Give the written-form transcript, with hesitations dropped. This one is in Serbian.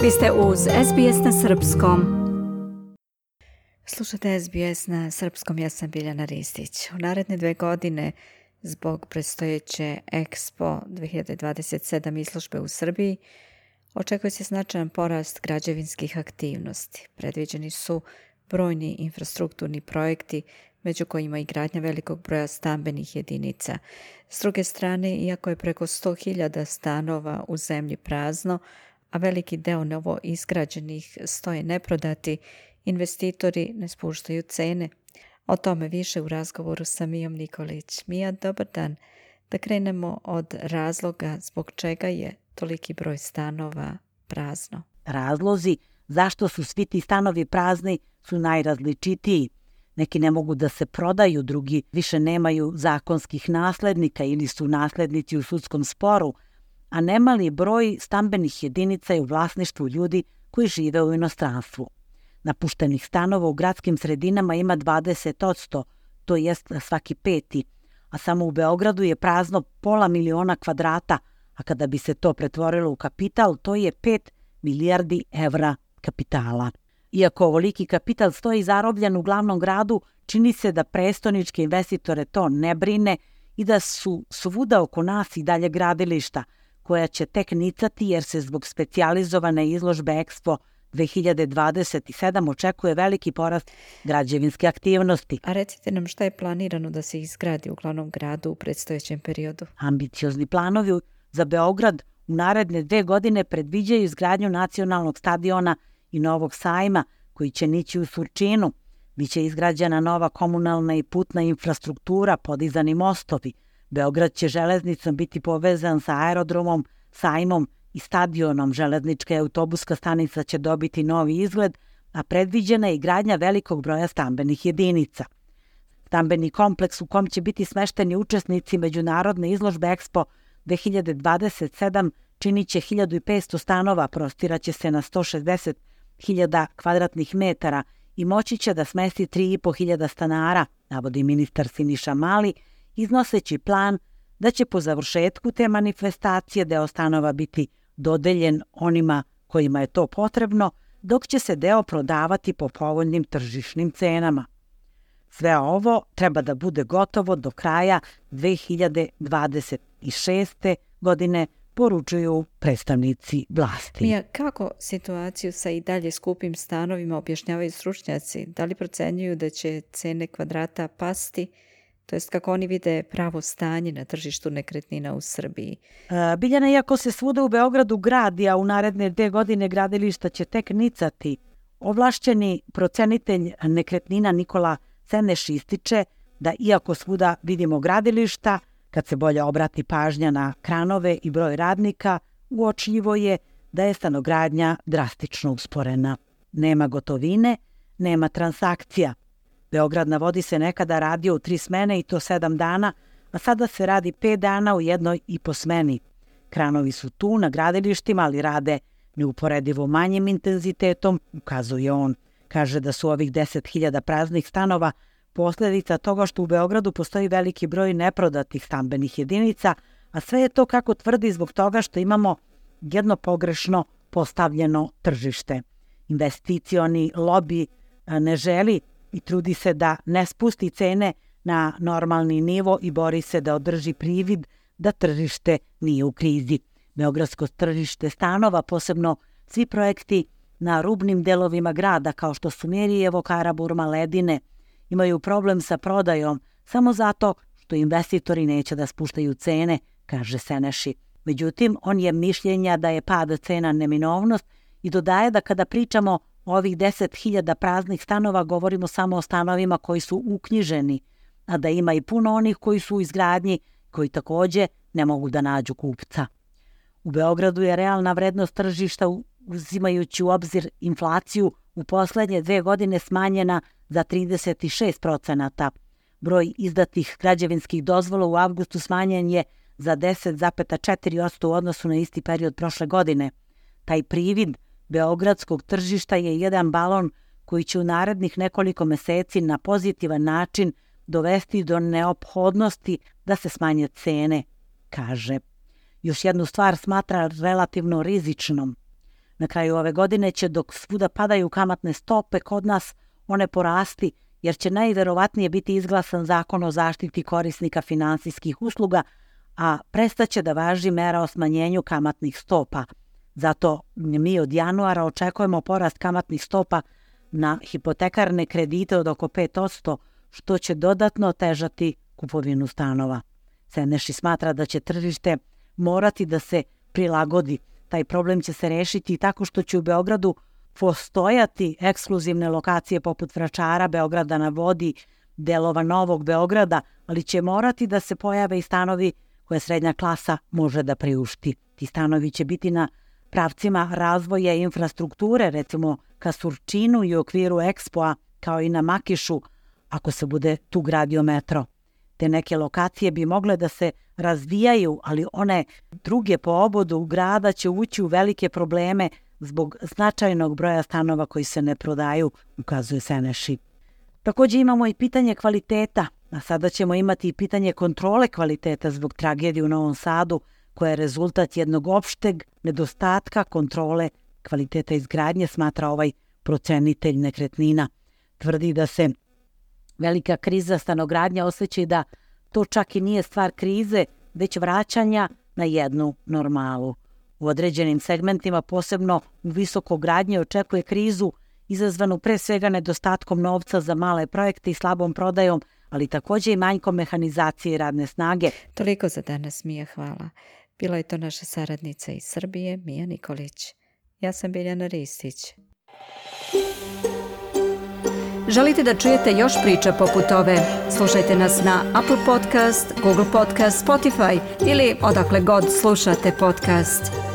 Vi ste uz SBS na Srpskom. Slušate SBS na Srpskom, ja sam Biljana Ristić. U naredne 2 godine, zbog predstojeće Expo 2027 izložbe u Srbiji, očekuje se značajan porast građevinskih aktivnosti. Predviđeni su brojni infrastrukturni projekti, među kojima i gradnja velikog broja stambenih jedinica. S druge strane, iako je preko 100.000 stanova u zemlji prazno, a veliki deo novo izgrađenih stoje neprodati, investitori ne spuštaju cene. O tome više u razgovoru sa Mijom Nikolić. Mija, dobar dan. Da krenemo od razloga zbog čega je toliki broj stanova prazno. Razlozi zašto su svi ti stanovi prazni su najrazličitiji. Neki ne mogu da se prodaju, drugi više nemaju zakonskih naslednika ili su naslednici u sudskom sporu, a nemali broj stambenih jedinica je u vlasništvu ljudi koji žive u inostranstvu. Napuštenih stanova u gradskim sredinama ima 20%, to jest svaki 5. A samo u Beogradu je prazno 500.000 kvadrata, a kada bi se to pretvorilo u kapital, to je 5 milijardi evra kapitala. Iako ovoliki kapital stoji zarobljen u glavnom gradu, čini se da prestoničke investitore to ne brine i da su svuda oko nas i dalje gradilišta, koja će tek nicati jer se zbog specijalizovane izložbe Expo 2027 očekuje veliki porast građevinske aktivnosti. A recite nam šta je planirano da se izgradi u glavnom gradu u predstojećem periodu? Ambiciozni planovi za Beograd u naredne 2 godine predviđaju izgradnju nacionalnog stadiona i novog sajma koji će nići u Surčinu. Biće izgrađena nova komunalna i putna infrastruktura, podizani mostovi. Beograd će železnicom biti povezan sa aerodromom, sajmom i stadionom. Železnička i autobuska stanica će dobiti novi izgled, a predviđena je i gradnja velikog broja stambenih jedinica. Stambeni kompleks u kom će biti smešteni učesnici međunarodne izložbe Expo 2027 činit će 1500 stanova, prostiraće se na 160.000 kvadratnih metara i moći će da smesti 3.500 stanara, navodi ministar Siniša Mali, iznoseći plan da će po završetku te manifestacije deo stanova biti dodeljen onima kojima je to potrebno, dok će se deo prodavati po povoljnim tržišnim cenama. Sve ovo treba da bude gotovo do kraja 2026. godine, poručuju predstavnici vlasti. Mija, kako situaciju sa i dalje skupim stanovima objašnjavaju stručnjaci? Da li procenjuju da će cene kvadrata pasti? To jest kako oni vide pravo stanje na tržištu nekretnina u Srbiji? Biljana, iako se svuda u Beogradu gradi, a u naredne 2 godine gradilišta će tek nicati, ovlašćeni procenitelj nekretnina Nikola Seneš ističe da iako svuda vidimo gradilišta, kad se bolje obrati pažnja na kranove i broj radnika, uočljivo je da je stanogradnja drastično usporena. Nema gotovine, nema transakcija. Beograd na vodi se nekada radio u 3 smene i to 7 dana, a sada se radi 5 dana u 1,5 smeni. Kranovi su tu na gradilištima, ali rade neuporedivo manjim intenzitetom, ukazuje on. Kaže da su ovih 10.000 praznih stanova posljedica toga što u Beogradu postoji veliki broj neprodatih stambenih jedinica, a sve je to, kako tvrdi, zbog toga što imamo jedno pogrešno postavljeno tržište. Investicioni lobi ne želi i trudi se da ne spusti cene na normalni nivo i bori se da održi privid da tržište nije u krizi. Beogradsko tržište stanova, posebno svi projekti na rubnim delovima grada kao što su Mirijevo, Karaburma, Ledine, imaju problem sa prodajom samo zato što investitori neće da spuštaju cene, kaže Seneši. Međutim, on je mišljenja da je pad cena neminovnost i dodaje da kada pričamo o ovih 10.000 praznih stanova govorimo samo o stanovima koji su uknjiženi, a da ima i puno onih koji su u izgradnji, koji također ne mogu da nađu kupca. U Beogradu je realna vrednost tržišta, uzimajući u obzir inflaciju, u poslednje 2 godine smanjena za 36%. Broj izdatih građevinskih dozvola u avgustu smanjen je za 10,4% u odnosu na isti period prošle godine. Taj privid beogradskog tržišta je jedan balon koji će u narednih nekoliko meseci na pozitivan način dovesti do neophodnosti da se smanje cene, kaže. Još jednu stvar smatra relativno rizičnom. Na kraju ove godine će, dok svuda padaju kamatne stope, kod nas one porasti, jer će najverovatnije biti izglasan zakon o zaštiti korisnika finansijskih usluga, a prestaće da važi mera o smanjenju kamatnih stopa. Zato mi od januara očekujemo porast kamatnih stopa na hipotekarne kredite od oko 5%, što će dodatno otežati kupovinu stanova. Seneši smatra da će tržište morati da se prilagodi. Taj problem će se rešiti tako što će u Beogradu postojati ekskluzivne lokacije poput Vračara, Beograda na vodi, delova Novog Beograda, ali će morati da se pojave i stanovi koje srednja klasa može da priušti. Ti stanovi će biti na pravcima razvoja infrastrukture, recimo ka Surčinu i u okviru Expoa, kao i na Makišu, ako se bude tu gradio metro. Te neke lokacije bi mogle da se razvijaju, ali one druge po obodu grada će ući u velike probleme zbog značajnog broja stanova koji se ne prodaju, ukazuje Seneši. Također imamo i pitanje kvaliteta, a sada ćemo imati i pitanje kontrole kvaliteta zbog tragedije u Novom Sadu, koja je rezultat jednog opšteg nedostatka kontrole kvaliteta izgradnje, smatra ovaj procenitelj nekretnina. Tvrdi da se velika kriza stanogradnja osjeća i da to čak i nije stvar krize, već vraćanja na jednu normalu. U određenim segmentima, posebno u visokogradnji, očekuje krizu izazvanu pre svega nedostatkom novca za male projekte i slabom prodajom, ali također i manjkom mehanizacije i radne snage. Toliko za danas, Mija, hvala. Bila je to naša saradnica iz Srbije, Mija Nikolić. Ja sam Biljana Ristić. Želite da čujete još priča poput ove? Slušajte nas na Apple Podcast, Google Podcast, Spotify ili odakle god slušate podcast.